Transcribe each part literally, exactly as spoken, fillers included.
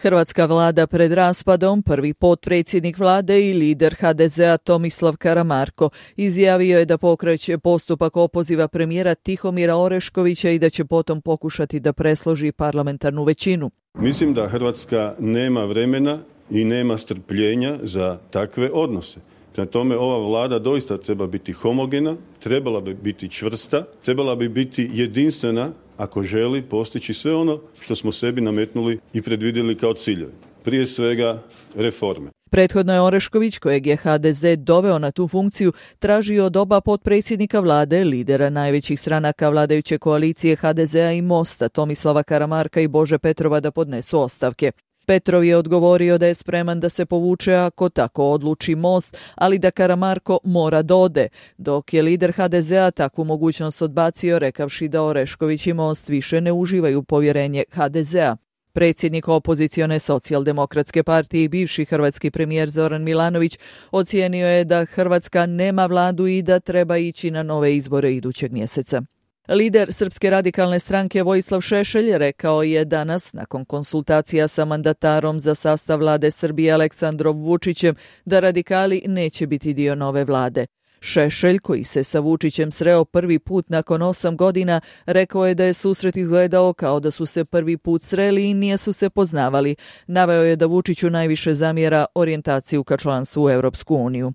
Hrvatska vlada pred raspadom, prvi potpredsjednik vlade i lider ha de zea Tomislav Karamarko izjavio je da pokreće postupak opoziva premijera Tihomira Oreškovića i da će potom pokušati da presloži parlamentarnu većinu. Mislim da Hrvatska nema vremena i nema strpljenja za takve odnose. Prema tome, ova vlada doista treba biti homogena, trebala bi biti čvrsta, trebala bi biti jedinstvena ako želi postići sve ono što smo sebi nametnuli i predvidjeli kao ciljeve. Prije svega reforme. Prethodno je Orešković, kojeg je ha de ze doveo na tu funkciju, tražio od oba potpredsjednika vlade, lidera najvećih stranaka vladajuće koalicije ha de zea i Mosta, Tomislava Karamarka i Bože Petrova, da podnesu ostavke. Petrov je odgovorio da je spreman da se povuče ako tako odluči Most, ali da Karamarko mora da ode, dok je lider ha de zea takvu mogućnost odbacio, rekavši da Orešković i Most više ne uživaju povjerenje ha de zea. Predsjednik opozicione socijaldemokratske partije i bivši hrvatski premijer Zoran Milanović ocijenio je da Hrvatska nema vladu i da treba ići na nove izbore idućeg mjeseca. Lider Srpske radikalne stranke Vojislav Šešelj rekao je danas, nakon konsultacija sa mandatarom za sastav vlade Srbije Aleksandrom Vučićem, da radikali neće biti dio nove vlade. Šešelj, koji se sa Vučićem sreo prvi put nakon osam godina, rekao je da je susret izgledao kao da su se prvi put sreli i nije su se poznavali. Naveo je da Vučiću najviše zamjera orijentaciju ka članstvu u Europsku uniju.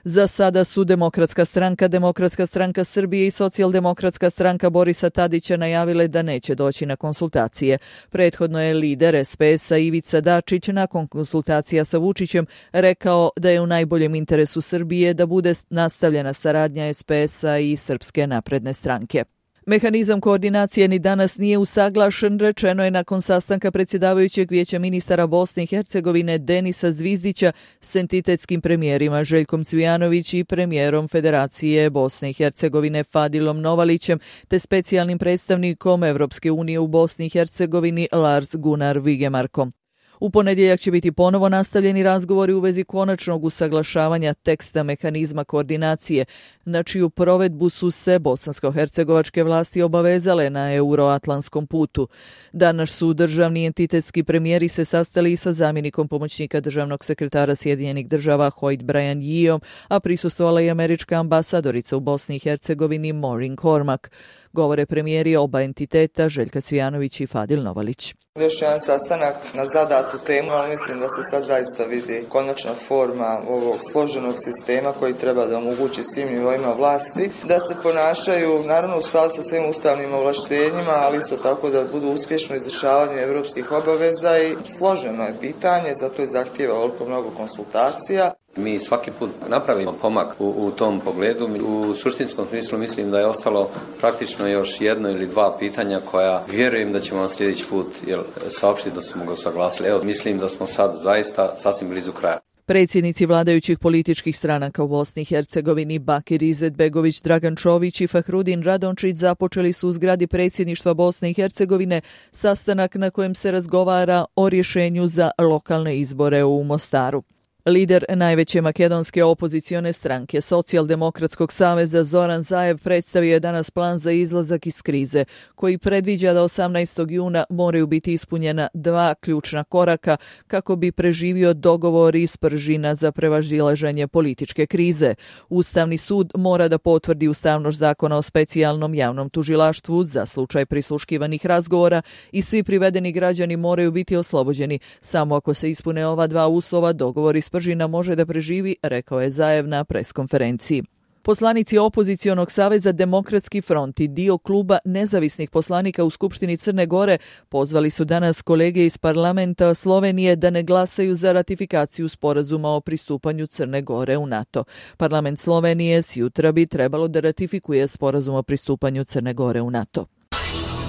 Za sada su Demokratska stranka, Demokratska stranka Srbije i Socijaldemokratska stranka Borisa Tadića najavile da neće doći na konsultacije. Prethodno je lider es pe esa Ivica Dačić nakon konsultacija sa Vučićem rekao da je u najboljem interesu Srbije da bude nastavljena saradnja es pe esa i Srpske napredne stranke. Mehanizam koordinacije ni danas nije usaglašen, rečeno je nakon sastanka predsjedavajućeg vijeća ministara Bosne i Hercegovine Denisa Zvizdića s entitetskim premijerima Željkom Cvijanović i premijerom Federacije Bosne i Hercegovine Fadilom Novalićem te specijalnim predstavnikom Evropske unije u Bosni i Hercegovini Lars Gunnar Vigemarkom. U ponedjeljak će biti ponovo nastavljeni razgovori u vezi konačnog usaglašavanja teksta mehanizma koordinacije, na čiju provedbu su se bosansko-hercegovačke vlasti obavezale na euroatlantskom putu. Danas su državni entitetski premijeri se sastali i sa zamjenikom pomoćnika državnog sekretara Sjedinjenih država Hoyt Brian Yeeom, a prisustvovala i američka ambasadorica u Bosni i Hercegovini Maureen Cormack. Govore premijeri oba entiteta Željka Cvijanović i Fadil Novalić. Još jedan sastanak na zadatu temu, ali mislim da se sad zaista vidi konačna forma ovog složenog sistema koji treba da omogući svim nivoima vlasti da se ponašaju naravno u skladu sa svim ustavnim ovlaštenjima, ali isto tako da budu uspješno izvršavanje evropskih obaveza i složeno je pitanje, zato je zahtijeva ovoliko mnogo konsultacija. Mi svaki put napravimo pomak u, u tom pogledu. U suštinskom smislu mislim da je ostalo praktično još jedno ili dva pitanja koja vjerujem da ćemo vam sljedeći put jel, saopštiti da smo ga usaglasili. Evo, mislim da smo sad zaista sasvim blizu kraja. Predsjednici vladajućih političkih stranaka u Bosni i Hercegovini Bakir Izetbegović, Dragan Čović i Fahrudin Radončić započeli su u zgradi predsjedništva Bosne i Hercegovine sastanak na kojem se razgovara o rješenju za lokalne izbore u Mostaru. Lider najveće makedonske opozicione stranke Socijaldemokratskog saveza Zoran Zaev predstavio je danas plan za izlazak iz krize, koji predviđa da osamnaestog juna moraju biti ispunjena dva ključna koraka kako bi preživio dogovor iz Pržina za prevazilaženje političke krize. Ustavni sud mora da potvrdi ustavnost zakona o specijalnom javnom tužilaštvu za slučaj prisluškivanih razgovora i svi privedeni građani moraju biti oslobođeni. Samo ako se ispune ova dva uslova, dogovor iz Pržina može da preživi, rekao je Zaev na preskonferenciji. Poslanici opozicionog saveza Demokratski front i dio kluba nezavisnih poslanika u Skupštini Crne Gore pozvali su danas kolege iz parlamenta Slovenije da ne glasaju za ratifikaciju sporazuma o pristupanju Crne Gore u NATO. Parlament Slovenije sjutra bi trebalo da ratifikuje sporazum o pristupanju Crne Gore u NATO.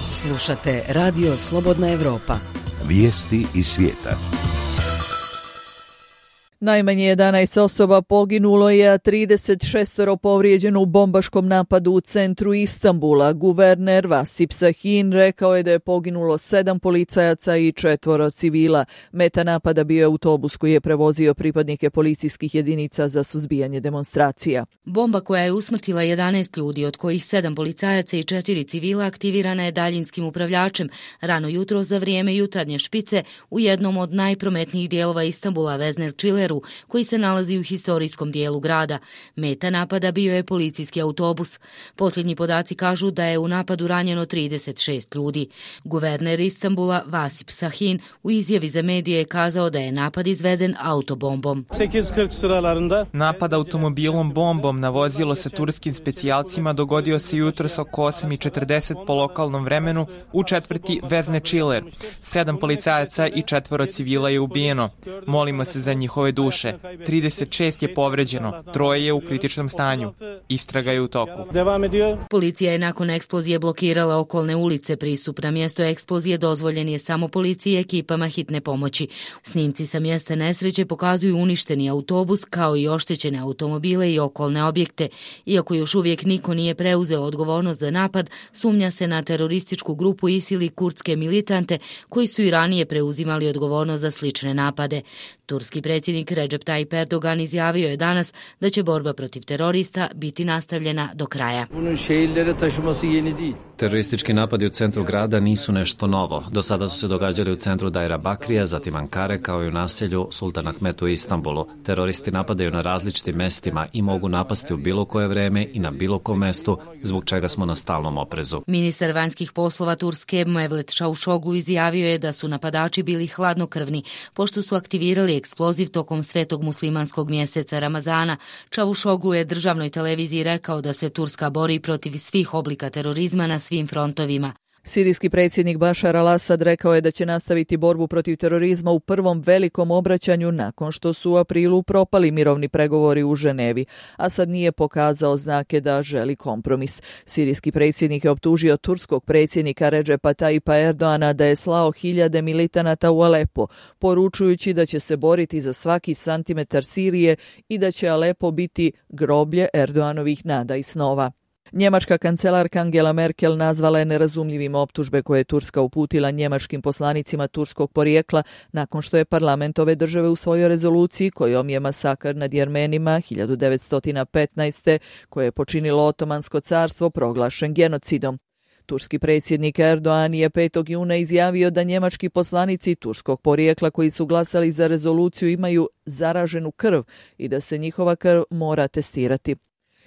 Slušate Radio Slobodna Evropa. Vijesti iz svijeta. Najmanje jedanaest osoba poginulo je, a trideset šest povrijeđeno u bombaškom napadu u centru Istanbula. Guverner Vasip Sahin rekao je da je poginulo sedam policajaca i četvoro civila. Meta napada bio je autobus koji je prevozio pripadnike policijskih jedinica za suzbijanje demonstracija. Bomba koja je usmrtila jedanaest ljudi, od kojih sedam policajaca i četiri civila, aktivirana je daljinskim upravljačem rano jutro za vrijeme jutarnje špice u jednom od najprometnijih dijelova Istanbula, Vezner Čileru, koji se nalazi u historijskom dijelu grada. Meta napada bio je policijski autobus. Posljednji podaci kažu da je u napadu ranjeno trideset šest ljudi. Guverner Istanbula Vasip Sahin u izjavi za medije je kazao da je napad izveden autobombom. Napad automobilom bombom na vozilo sa turskim specijalcima dogodio se jutros oko osam i četrdeset po lokalnom vremenu u četvrti Vezne Čiler. Sedam policajaca i četvoro civila je ubijeno. Molimo se za njihove duše. trideset šest je povređeno, troje je u kritičnom stanju. Istraga je u toku. Policija je nakon eksplozije blokirala okolne ulice. Pristup na mjesto eksplozije dozvoljen je samo policiji i ekipama hitne pomoći. Snimci sa mjesta nesreće pokazuju uništeni autobus kao i oštećene automobile i okolne objekte. Iako još uvijek niko nije preuzeo odgovornost za napad, sumnja se na terorističku grupu ISIL i kurdske militante koji su i ranije preuzimali odgovornost za slične napade. Turski predsjednik Recep Tayyip Erdogan izjavio je danas da će borba protiv terorista biti nastavljena do kraja. Teroristički napadi u centru grada nisu nešto novo. Do sada su se događali u centru Dajra Bakrija, zatim Ankare, kao i u naselju Sultan Ahmet u Istanbulu. Teroristi napadaju na različitim mestima i mogu napasti u bilo koje vreme i na bilo kom mestu, zbog čega smo na stalnom oprezu. Ministar vanjskih poslova Turske Mevlut Čavuşoglu izjavio je da su napadači bili hladnokrvni, pošto su aktivirali eksploziv tokom svetog muslimanskog mjeseca Ramazana. Čavuşoglu je državnoj televiziji rekao da se Turska bori protiv svih oblika terorizma na svim frontovima. Sirijski predsjednik Bašar al-Asad rekao je da će nastaviti borbu protiv terorizma u prvom velikom obraćanju nakon što su u aprilu propali mirovni pregovori u Ženevi. Asad nije pokazao znake da želi kompromis. Sirijski predsjednik je optužio turskog predsjednika Recepa Tayyipa Erdoana da je slao hiljade militanata u Alepo, poručujući da će se boriti za svaki santimetar Sirije i da će Alepo biti groblje Erdoanovih nada i snova. Njemačka kancelarka Angela Merkel nazvala je nerazumljivim optužbe koje je Turska uputila njemačkim poslanicima turskog porijekla nakon što je parlament ove države usvojio rezoluciji kojom je masakr nad Jermenima hiljadu devetsto petnaeste. koje je počinilo Otomansko carstvo proglašen genocidom. Turski predsjednik Erdogan je petog juna izjavio da njemački poslanici turskog porijekla koji su glasali za rezoluciju imaju zaraženu krv i da se njihova krv mora testirati.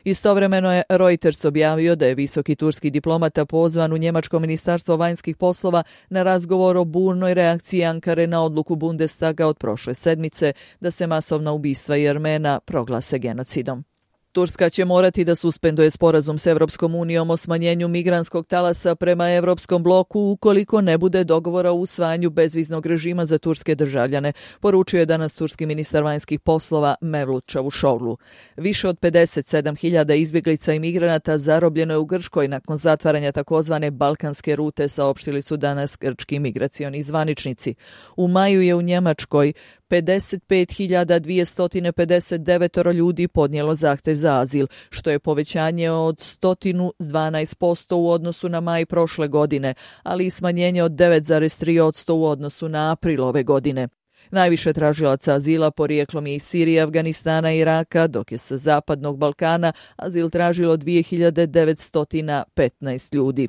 Istovremeno je Reuters objavio da je visoki turski diplomata pozvan u njemačko ministarstvo vanjskih poslova na razgovor o burnoj reakciji Ankare na odluku Bundestaga od prošle sedmice da se masovna ubistva Jermena proglase genocidom. Turska će morati da suspenduje sporazum s Evropskom unijom o smanjenju migrantskog talasa prema Evropskom bloku ukoliko ne bude dogovora o usvajanju bezviznog režima za turske državljane, poručio je danas turski ministar vanjskih poslova Mevlut Čavuşoglu. Više od pedeset sedam hiljada izbjeglica i migranata zarobljeno je u Grčkoj nakon zatvaranja takozvane balkanske rute, saopštili su danas grčki migracioni zvaničnici. U maju je u Njemačkoj pedeset pet hiljada dvjesto pedeset devet ljudi podnijelo zahtjev za azil, što je povećanje od sto dvanaest posto u odnosu na maj prošle godine, ali i smanjenje od devet zarez tri posto u odnosu na april ove godine. Najviše tražilaca azila porijeklom je iz Sirije, Afganistana i Iraka, dok je sa Zapadnog Balkana azil tražilo dvije hiljade devetsto petnaest ljudi.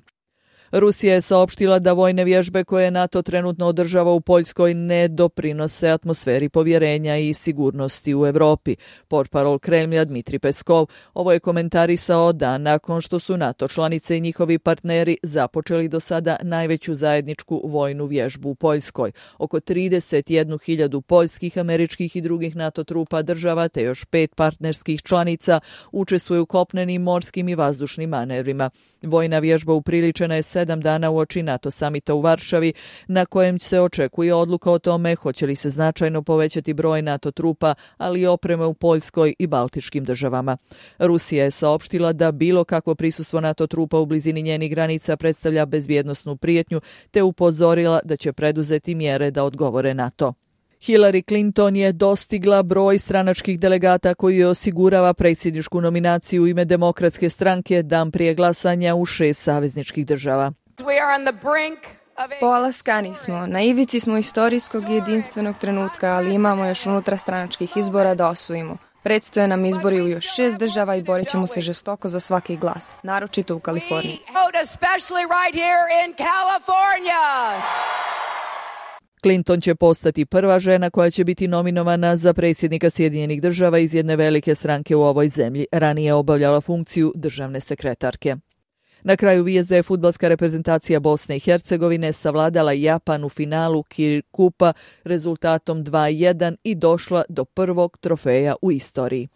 Rusija je saopštila da vojne vježbe koje NATO trenutno održava u Poljskoj ne doprinose atmosferi povjerenja i sigurnosti u Europi. Portparol Kremlja Dmitri Peskov ovo je komentarisao dan nakon što su NATO članice i njihovi partneri započeli do sada najveću zajedničku vojnu vježbu u Poljskoj. Oko trideset jednu hiljadu poljskih, američkih i drugih NATO trupa država te još pet partnerskih članica učestvuje u kopnenim, morskim i vazdušnim manevrima. Vojna vježba upriličena je sedam dana uoči NATO samita u Varšavi, na kojem se očekuje odluka o tome hoće li se značajno povećati broj NATO trupa, ali i opreme u Poljskoj i Baltičkim državama. Rusija je saopštila da bilo kakvo prisustvo NATO trupa u blizini njenih granica predstavlja bezbjednosnu prijetnju, te upozorila da će preduzeti mjere da odgovore na to. Hillary Clinton je dostigla broj stranačkih delegata koji je osigurava predsjedničku nominaciju u ime Demokratske stranke dan prije glasanja u šest savezničkih država. Polaskani smo, na ivici smo istorijskog i jedinstvenog trenutka, ali imamo još unutrastranačkih izbora da osvojimo. Predstoje nam izbori u još šest država i borit ćemo se žestoko za svaki glas, naročito u Kaliforniji. Clinton će postati prva žena koja će biti nominovana za predsjednika Sjedinjenih država iz jedne velike stranke u ovoj zemlji. Ranije je obavljala funkciju državne sekretarke. Na kraju vijest da je fudbalska reprezentacija Bosne i Hercegovine savladala Japan u finalu Kirin Kupa rezultatom dva jedan i došla do prvog trofeja u istoriji.